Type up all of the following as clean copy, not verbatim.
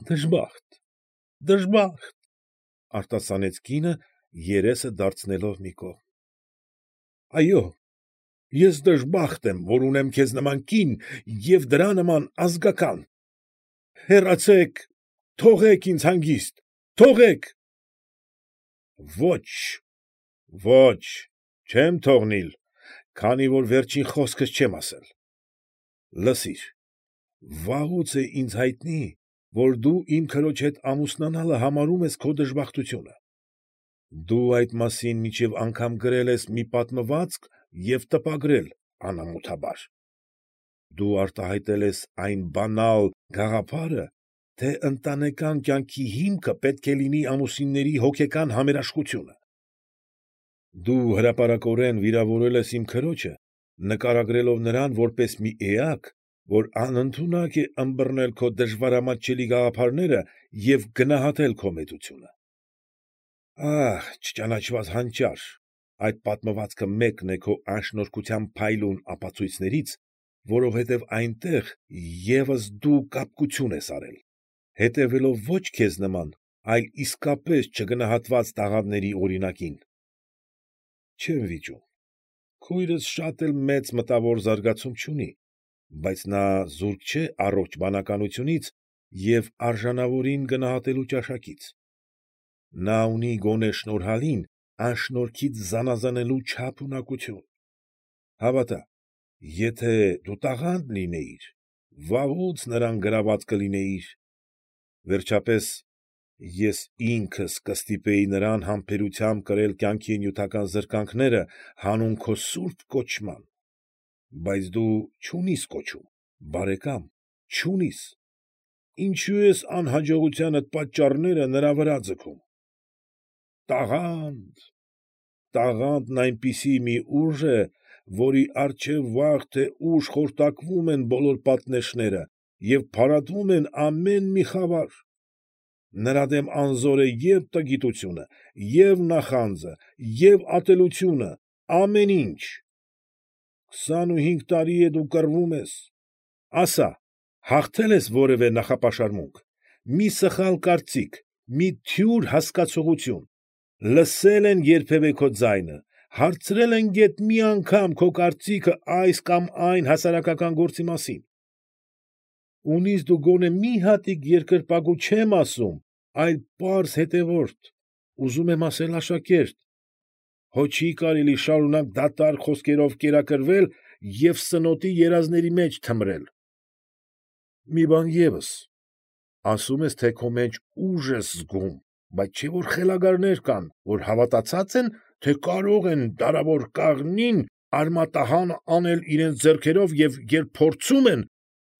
Դժբախտ, դժբախտ, արտասանեց կինը, երեսը դարձնելով մի կողմ։ Այո, ես դժբախտ եմ, որ ունեմ քեզ նման կին և դրա նման ազգական։ Հեռացեք, թողեք ինձ հանգիստ, թողեք։ Ոչ, ոչ, չեմ թողնիլ, քանի որ վերջին խոսքս չեմ ասել։ Լսիր, վաղուց է ինձ հայտնի, որ դու իմ քրոջ հետ ամուսնանալը համարում ես քո դժբախտությունը։ Դու այդ մասին մինչև անգամ գրել ես մի պատմվածք և տպագրել անամոթաբար։ Դու արտահայտել ես այն բանալ գաղափարը, թե ընտանեկան կյանքի հիմքը պետք է լինի ամուսինների հոգեկան համերաշխությունը։ Դու հրապարակորեն վիրավորել ես իմ քրոջը, նկարագրելով նրան որպես մի էակ, որ անընդունակ է ըմբռնել քո դժվարամատչելի գաղափարները և գնահատել քո մեծությունը։ Ահ, չճանաչված հանճար, այդ պատմվածքը մեկն է քո անշնորհքության փայլուն ապացույցներից, որովհետև այնտեղ ևս դու կապկություն ես արել, հետևելով ոչ քեզ նման, այլ իսկապես չգնահատված տաղանդների օրինակին։ Չեմ վիճում, քույրս շատ էլ մեծ մտավոր զարգացում չունի, բայց նա զուրկ չէ առողջ բանականությունից և արժանավորին գնահատելու ճաշակից։ Նա ունի գոնե շնորհալին անշնորհքից զանաղանելու չափ ունակություն։ Հավատա, եթե դու տաղանդ լինեիր, վաղուց նրան գրաված կլինեիր։ Վերջապես, ես ինքս կստիպեի նրան համբերությամբ կրել կյանքի նյութական զրկանքները հանուն քո սուրբ կոչման։ Բայց դու չունիս կոչում, բարեկամ, չունիս, ինչո՞ւ ես անհաջողությանդ պատճառները նրա վրա ձգում։ Տաղանդ, տաղանդն այնպիսի մի ուժ է, որի առջև վաղ թե ուշ խորտակվում են բոլոր պատնեշները և փարատվում են ամեն մի խավար։ Նրա դեմ անզոր է և տգիտությունը, և նախանձը, և ատելությունը, ամեն ինչ։ 25 տարի է դու կռվում ես։ Ասա, հաղթե՞լ ես որևէ նախապաշարմունք, մի սխալ կարծիք, մի թյուր հասկացողություն, լսե՞լ են երբևէ քո ձայնը, հարցրել են գեթ մի անգամ քո կարծիքը այս կամ այն հասարակական գործի մասին։ Ունիս դու գոնե մի հատիկ երկրպագու չեմ ասում, այլ պարզ հետևորդ, ուզում եմ ասել աշակերտ, հո չի կարելի շարունակ դատարկ խոսքերով կերակրվել և սնոտի երազների մեջ թմրել։ Մի բան ևս, ասում ես, թե քո մեջ ուժ ես զգում, բայց չէ՞ որ խելագարներ կան, որ հավատացած են, թե կարող են դարավոր կաղնին արմատահան անել իրենց ձեռքերով և երբ փորձում են,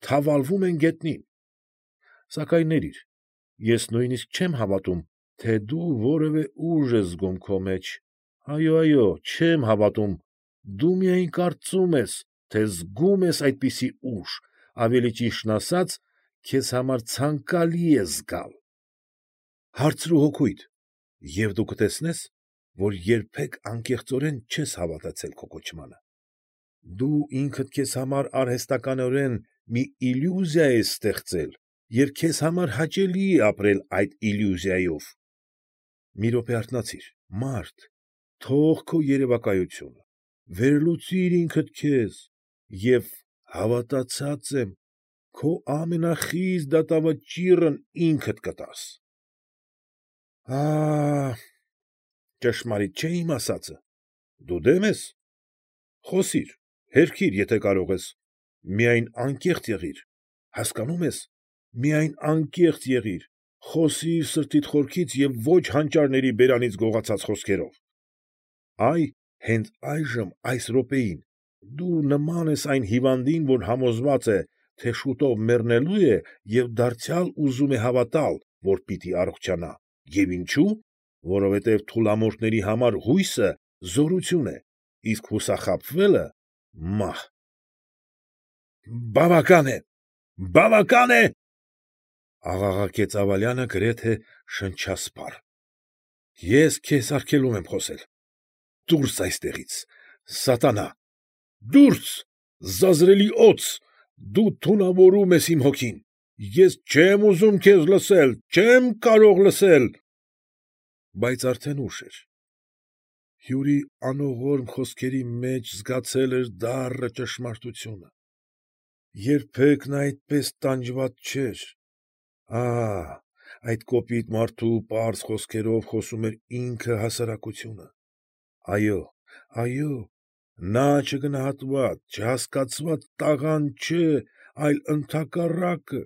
թավալվում են գետնին։ Սակայն ներիր, ես նույնիսկ չեմ հավատում, թե դու որևէ ուժ ես զգում քո մեջ, այո, չեմ հավատում, դու միայն կարծում ես, թե զգում ես այդպիսի ուժ, ավելի ճիշտն ասած, քեզ համար ցանկալի է զգալ։ Հարցրու հոգուդ, և դու կտեսնես, որ երբեք անկեղծորեն չես հավատացել քո կոչմանը։ Դու ինքդ քեզ համար արհեստականորեն մի իլյուզիա ես ստեղծել և քեզ համար հաճելի է ապրել այդ իլյուզիայով։ Մի րոպե արթնացիր, մարդ, թող քո երևակայությունը, վերլուծիր ինքդ քեզ և, հավատացած եմ, քո ամենախիստ դատավճիռն ինքդ կտաս։ Ահ, ճշմարիտ չէ՞ իմ ասածը, դու դե՞մ ես։ Խոսիր, հերքիր, եթե կարող ես, միայն անկեղծ եղիր, հասկանո՞ւմ ես, միայն անկեղծ եղիր, խոսիր սրտիդ խորքից և ոչ հանճարների բերանից գողացած խոսքերով։ Հենց այժմ, այս րոպեին, դու նման ես այն հիվանդին, որ համոզված է, թե շուտով մեռնելու է և դարձյալ ուզում է հավատալ, որ պիտի առողջանա, և ինչո՞ւ, որովհետև թուլամորթների համար հույսը զորություն է, իսկ հուսախաբվելը՝ մահ։ Բավական է, բավական է, աղաղակեց Աղալյանը գրեթե շնչասպառ, ես քեզ արգելում եմ խոսել, դուրս այստեղից, սատանա, դուրս, զազրելի օձ, դու թունավորում ես իմ հոգին, ես չեմ ուզում քեզ լսել, չեմ կարող լսել… Բայց արդեն ուշ էր։ Հյուրի անողորմ խոսքերի մեջ զգացել էր դառը ճշմարտությունը։ Երբեք նա այդպես տանջված չէր… Ահ, այդ կոպիտ մարդու պարզ խոսքերով խոսում էր ինքը հասարակությունը… Այո, նա չգնահատված, չհասկացված տաղանդ չէ, այլ ընդհակառակը,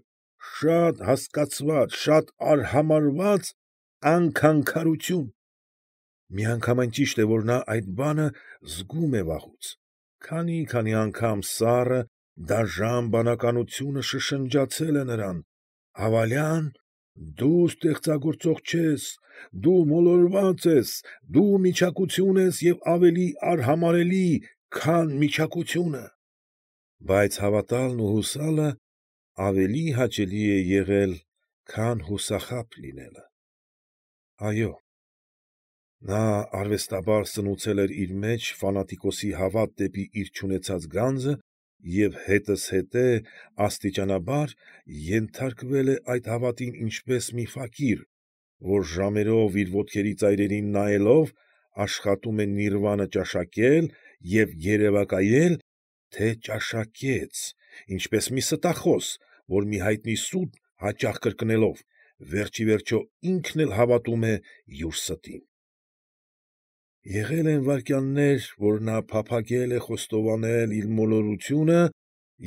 շատ հասկացված, շատ արհամարհված անքանքարություն… Միանգամայն ճիշտ է, որ նա այդ բանը զգում է վաղուց, քանի անգամ սառը, դաժան բանականությունը շշնջացել է նրան. «Ավալյա՛ն, դու ստեղծագործող չես, դու մոլորված ես, դու միչակություն ես և ավելի արհամարհելի, քան միչակությունը»… Բայց հավատալն ու հուսալը ավելի հաճելի է եղել, քան հուսախաբ լինելը… Այո, նա արվեստաբար սնուցել էր իր մեջ ֆանատիկոսի հավատ դեպի իր չունեցած գանձը և հետզհետե աստիճանաբար ենթարկվել է այդ հավատին ինչպես մի ֆակիր, որ ժամերով իր ոտքերի ծայրերին նայելով աշխատում է նիրվանը ճաշակել և երևակայել, թե ճաշակեց, ինչպես մի ստախոս, որ մի հայտնի սուտ հաճախ կրկնելով, վերջ ի վերջո ինքն էլ հավատում է յուր ստին… Եղել են վայրկյաններ, որ նա փափագել է խոստովանել իր մոլորությունը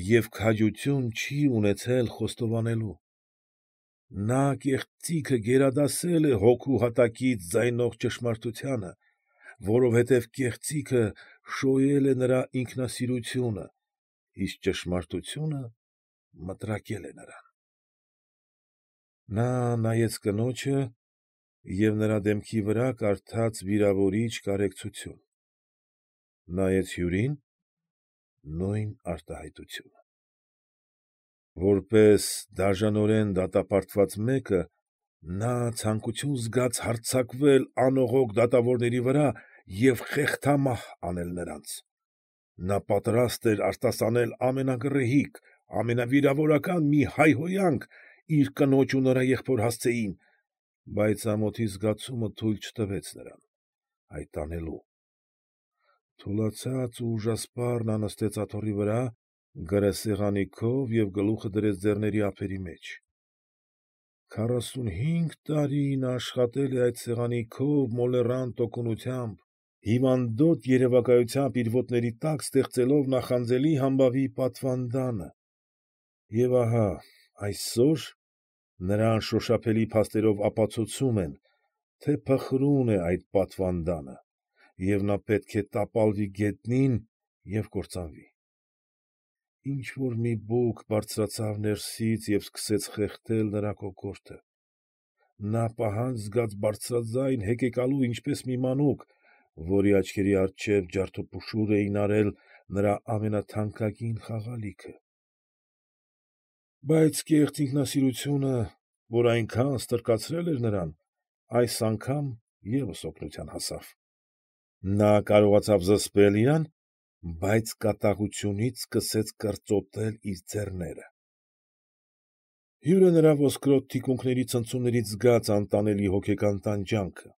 և քաջություն չի ունեցել խոստովանելու… Նա կեղծիքը գերադասել է հոգու հատակից ձայնող ճշմարտությանը, որովհետև կեղծիքը շոյել է նրա ինքնասիրությունը, իսկ ճշմարտությունը մտրակել է նրան… Նա նայեց կնոջը և նրա դեմքի վրա կարդաց վիրավորիչ կարեկցություն, նայեց հյուրին ֊ նույն արտահայտությունը… Որպես դաժանորեն դատապարտված մեկը, նա ցանկություն զգաց հարձակվել անողոք դատավորների վրա և խեղդամահ անել նրանց… Նա պատրաստ էր արտասանել ամենագռեհիկ, ամենավիրավորական մի հայհոյանք իր կնոջ ու նրա եղբոր հասցեին, բայց ամոթի զգացումը թույլ չտվեց նրան այդ անելու… Թուլացած ու ուժասպառ նա նստեց աթոռի վրա, գրասեղանի քով և գլուխը դրեց ձեռների ափերի մեջ… 45 տարի նա աշխատել է այդ սեղանի քով մոլեռանդ տոկունությամբ, հիվանդոտ երևակայությամբ իր ոտների տակ ստեղծելով նախանձելի համբավի պատվանդանը… Եվ ահա այսօր նրան շոշափելի փաստերով ապացուցում են, թե փխրուն է այդ պատվանդանը, և նա պետք է տապալվի գետնին և կործանվի… Ինչ֊որ մի բուք բարձրացավ ներսից և սկսեց խեղդել նրա կոկորդը… Նա պահանջ զգաց բարձրաձայն հեկեկալու ինչպես մի մանուկ, որի աչքերի առջև ջարդուփշուր էին արել նրա ամենաթանկագին խաղալիքը… Բայց կեղծ ինքնասիրությունը, որ այնքան ստրկացրել էր նրան, այս անգամ ևս օգնության հասավ… Նա կարողացավ զսպել իրան, բայց կատաղությունից սկսեց կրծոտել իր ձեռները… Հյուրը նրա ոսկրոտ թիկունքների ցնցումներից զգաց անտանելի հոգեկան տանջանքը…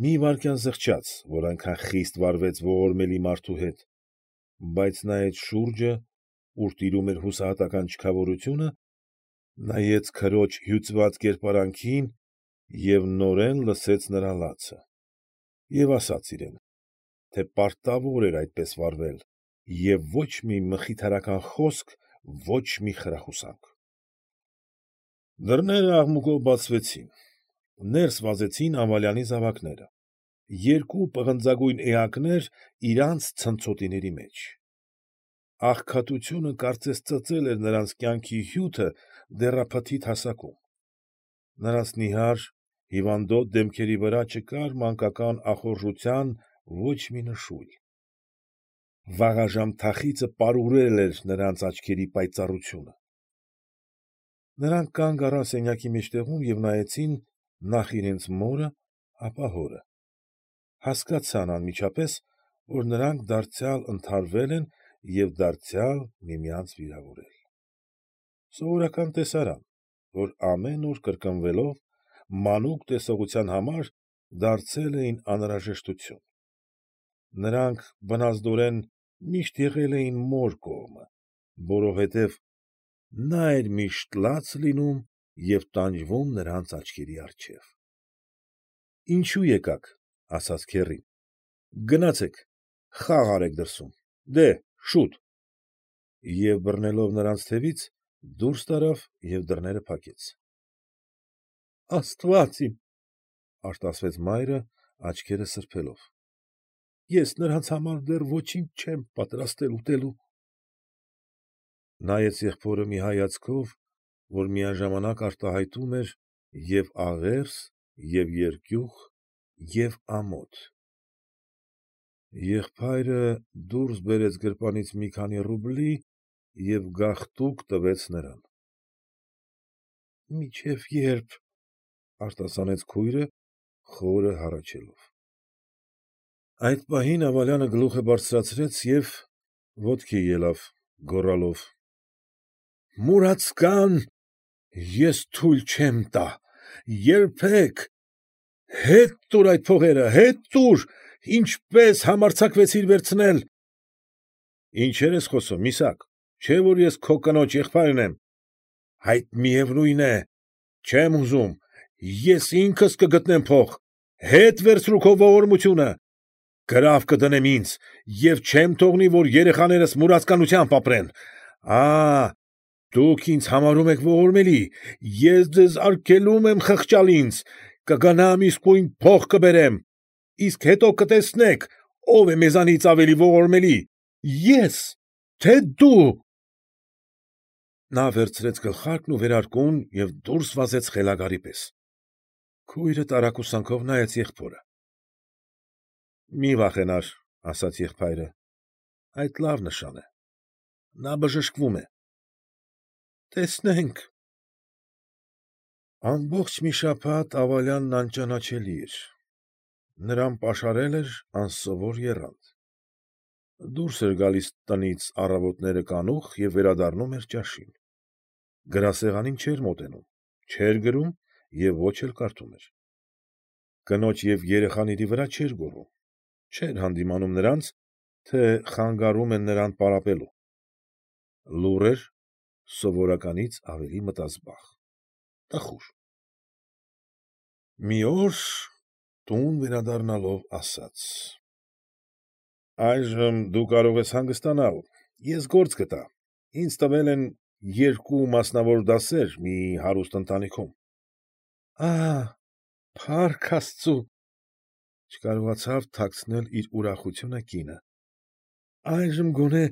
Մի վայրկյան զղջաց, որ այնքան խիստ վարվեց ողորմելի մարդու հետ, բայց նայեց շուրջը, ուր տիրում էր հուսահատական չքավորությունը, նայեց քրոջ հյուծված կերպարանքին և նորեն լսեց նրա լացը… Եվ ասաց իրեն, թե պարտավոր էր այդպես վարվել և ոչ մի մխիթարական խոսք, ոչ մի խրախուսանք… Դռները աղմուկով բացվեցին, ներս վազեցին Ամալյանի զավակները, երկու պղնձագույն էակներ իրանց ցնցոտիների մեջ… Աղքատությունը կարծես ծծել էր նրանց կյանքի հյութը դեռափթիթ հասակում… Նրանց նիհար, հիվանդոտ դեմքերի վրա չկար մանկական ախորժության ոչ մի նշույլ… Վաղաժամ թախիծը պարուրել էր նրանց աչքերի պայծառությունը… Նրանք կանգ առան սենյակի մեջտեղում և նայեցին նախ իրենց մորը, ապա հորը… Հասկացան անմիջապես, որ նրանք դարձյալ ընդհարվել են և դարձյալ միմյանց վիրավորել… Սովորական տեսարան, որ ամեն օր կրկնվելով մանուկ տեսողության համար դարձել էին անհրաժեշտություն։ Նրանք բնազդորեն միշտ եղել էին մոր կողմը, որովհետև նա էր միշտ լաց լինում և տանջվում նրանց աչքերի առջև։ ֊ Ինչո՞ւ եկաք,֊ ասաց քեռին,֊ գնացեք, խաղ արեք դրսում, դե՛հ, շուտ, և բռնելով նրանց թևից, դուրս տարավ և դռները փակեց։ ֊ Աստվա՛ծ իմ,֊ արտասվեց մայրը, աչքերը սրբելով,֊ ես նրանց համար դեռ ոչինչ չեմ պատրաստել ուտելու։ Նայեց եղբորը մի հայացքով, որ միաժամանակ արտահայտում էր և՛ աղերս, և՛ երկյուղ, և՛ ամոթ։ Եղբայրը դուրս բերեց գրպանից մի քանի ռուբլի և գաղտուկ տվեց նրան։ ֊ Մինչև ե՞րբ,֊ արտասանեց քույրը, խորը հառաչելով։ Այդ պահին Ավալյանը գլուխը բարձրացրեց և ոտքի ելավ, գոռալով. ֊ Մուրացկա՛ն, ես թույլ չեմ տա, երբեք… Հետ տուր այդ փողերը, հետ տուր, ինչպես համարձակվեցիր վերցնել… ֊ Ինչեր ես խոսում, միսակ, չէ՞ որ ես քո կնոջ եղբայրն եմ… ֊ Այդ միևնույն է, չեմ ուզում, ես ինքս կգտնեմ փող… Հետ վերցրու քո ողորմությունը… Գրավ կդնեմ ինձ և չեմ թողնի, որ երեխաներս մուրացկանությամբ ապրեն… Ա՛, դուք ինձ համարում եք ողորմելի, ես ձեզ արգելում եմ խղճալ ինձ… Կգնամ իսկույն փող կբերեմ… Իսկ հետո կտեսնեք, ով է մեզանից ավելի ողորմելի… Ե՞ս, թե՞ դու… Նա վերցրեց գլխարկն ու վերարկուն և դուրս վազեց խելագարի պես։ Քույրը տարակուսանքով նայեց եղբորը։ ֊ Մի վախենար,֊ ասաց եղբայրը,֊ այդ լավ նշան է… Նա բժշկվում է… ֊ Տեսնենք… Ամբողջ մի շաբաթ Ավալյանն անճանաչելի էր… Նրան պաշարել էր անսովոր եռանդ… Դուրս էր գալիս տնից առավոտները կանուխ և վերադառնում էր ճաշին… Գրասեղանին չէր մոտենում, չէր գրում և ոչ էլ կարդում էր… Կնոջ և երեխաների վրա չէր գոռում, չէր հանդիմանում նրանց, թե խանգարում են նրան պարապելու… Լուռ էր, սովորականից ավելի մտազբաղ… տխուր… Մի օր տուն վերադառնալով ասաց. ֊ Այժմ դու կարող ես հանգստանալ, ես գործ գտա, ինձ տվել են 2 մասնավոր դասեր մի հարուստ ընտանիքում… Ա՛հ, փառք աստծու,֊ չկարողացավ թաքցնել իր ուրախությունը կինը,֊ այժմ գոնե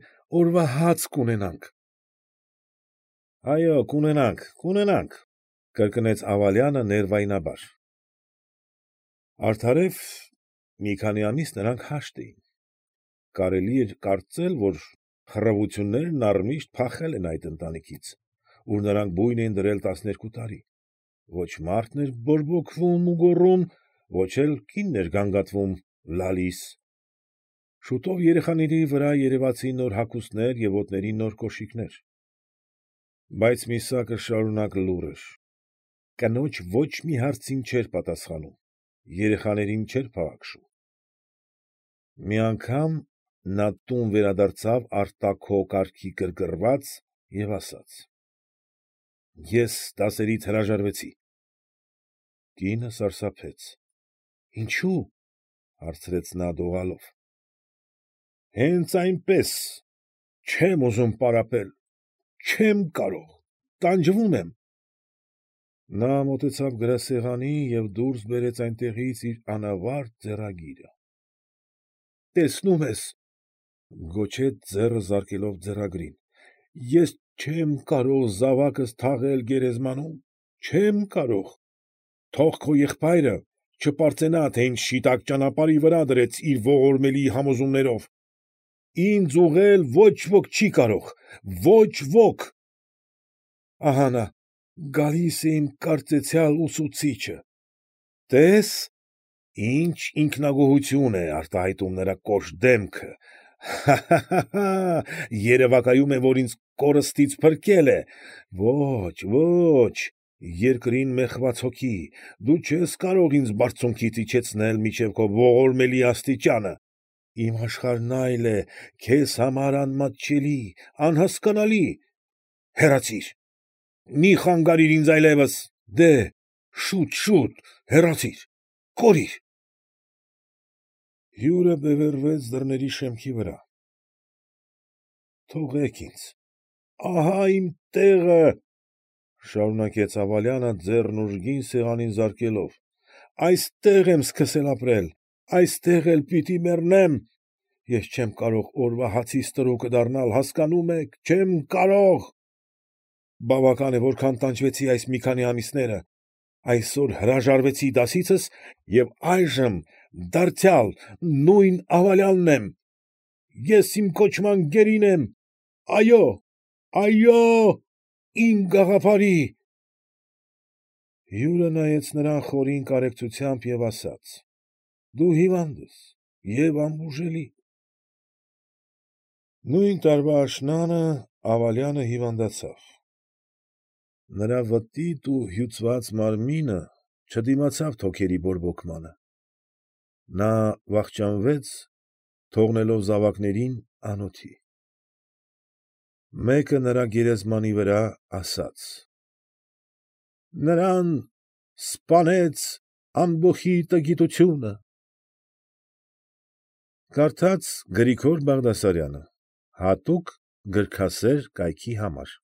օրվա հաց կունենանք… ֊ Այո, կունենանք, կունենանք,֊ կրկնեց Ավալյանը ներվայնաբար… Արդարև, մի քանի ամիս նրանք հաշտ էին… Կարելի էր կարծել, որ խռովություններն առմիշտ փախել են այդ ընտանիքից, ուր նրանք բույն էին դրել 12 տարի… Ոչ մարդն էր բորբոքվում ու գոռում, ոչ էլ կինն էր գանգատվում, լալիս… Շուտով երեխաների վրա երևացին նոր հագուստներ և ոտների նոր կոշիկներ… Բայց միսակը շարունակ լուռ էր… Կնոջ ոչ մի հարցին չէր պատասխանում, երեխաներին չէր փաղաքշում… Մի անգամ նա տուն վերադարձավ արտաքո կարգի գրգռված և ասաց. ֊ Ես դասերից հրաժարվեցի… Կինը սարսափեց։ ֊ Ինչո՞ւ,֊ հարցրեց նա դողալով։ ֊ Հենց այնպես, չեմ ուզում պարապել… չեմ կարող… տանջվում եմ… Նա մոտեցավ գրասեղանին և դուրս բերեց այնտեղից իր անավարտ ձեռագիրը… ֊ Տեսնում ես,֊ գոչեց ձեռը զարկելով ձեռագրին,֊ ես չեմ կարող զավակս թաղել գերեզմանում… չեմ կարող… Թող քո եղբայրը չպարծենա, թե ինչ շիտակ ճանապարհի վրա դրեց իր ողորմելի համոզումներով… Ինձ ուղղել ոչ ոք չի կարող… ոչ ոք… Ահա նա, գալիս է իմ կարծեցյալ ուսուցիչը… Տե՛ս, ինչ ինքնագոհություն է արտահայտում նրա կոշտ դեմքը… Հա՛, երևակայում է, որ ինձ կորստից փրկել է։ Ոչ, ոչ, երկրին մեխված հոգի, դու չես կարող ինձ բարձունքից իջեցնել մինչև քո ողորմելի աստիճանը։ Իմ աշխարհն այլ է, քեզ համար անմատչելի, անհասկանալի։ Հեռացիր, մի խանգարիր ինձ այլևս, դե՛հ, շուտ, հեռացիր, կորիր։ Հյուրը բևեռվեց դռների շեմքի վրա։ Թողեք ինձ, ահա իմ տեղը, շարունակեց Ավալյանը ձեռն ուժգին սեղանին զարկելով, այստեղ եմ սկսել ապրել, այստեղ էլ պիտի մեռնեմ, ես չեմ կարող օրվա հացիս տրոկը դառնալ, հասկանում եք, չեմ կարող։ Բավական է, որքան տանջվեցի այս մի քանի ամիսները, այսօր հրաժարվեցի դասիցս և այժմ դարձյալ նույն Ավալյանն եմ, ես իմ կոչման գերին եմ, այո, իմ գաղափարի… Հյուրը նայեց նրան խորին կարեկցությամբ և ասաց. ֊ Դու հիվանդ ես և անբուժելի… Նույն տարվա աշնանը Ավալյանը հիվանդացավ։ Նրա վտիտ ու հյուծված մարմինը չդիմացավ թոքերի բորբոքմանը։ Նա վախճանվեց, թողնելով զավակներին անոթի։ Մեկը նրա գերեզմանի վրա ասաց. ֊ Նրան սպանեց ամբոխի տգիտությունը… Կարդաց Գրիգոր Բաղդասարյանը հատուկ գրքասեր կայքի համար։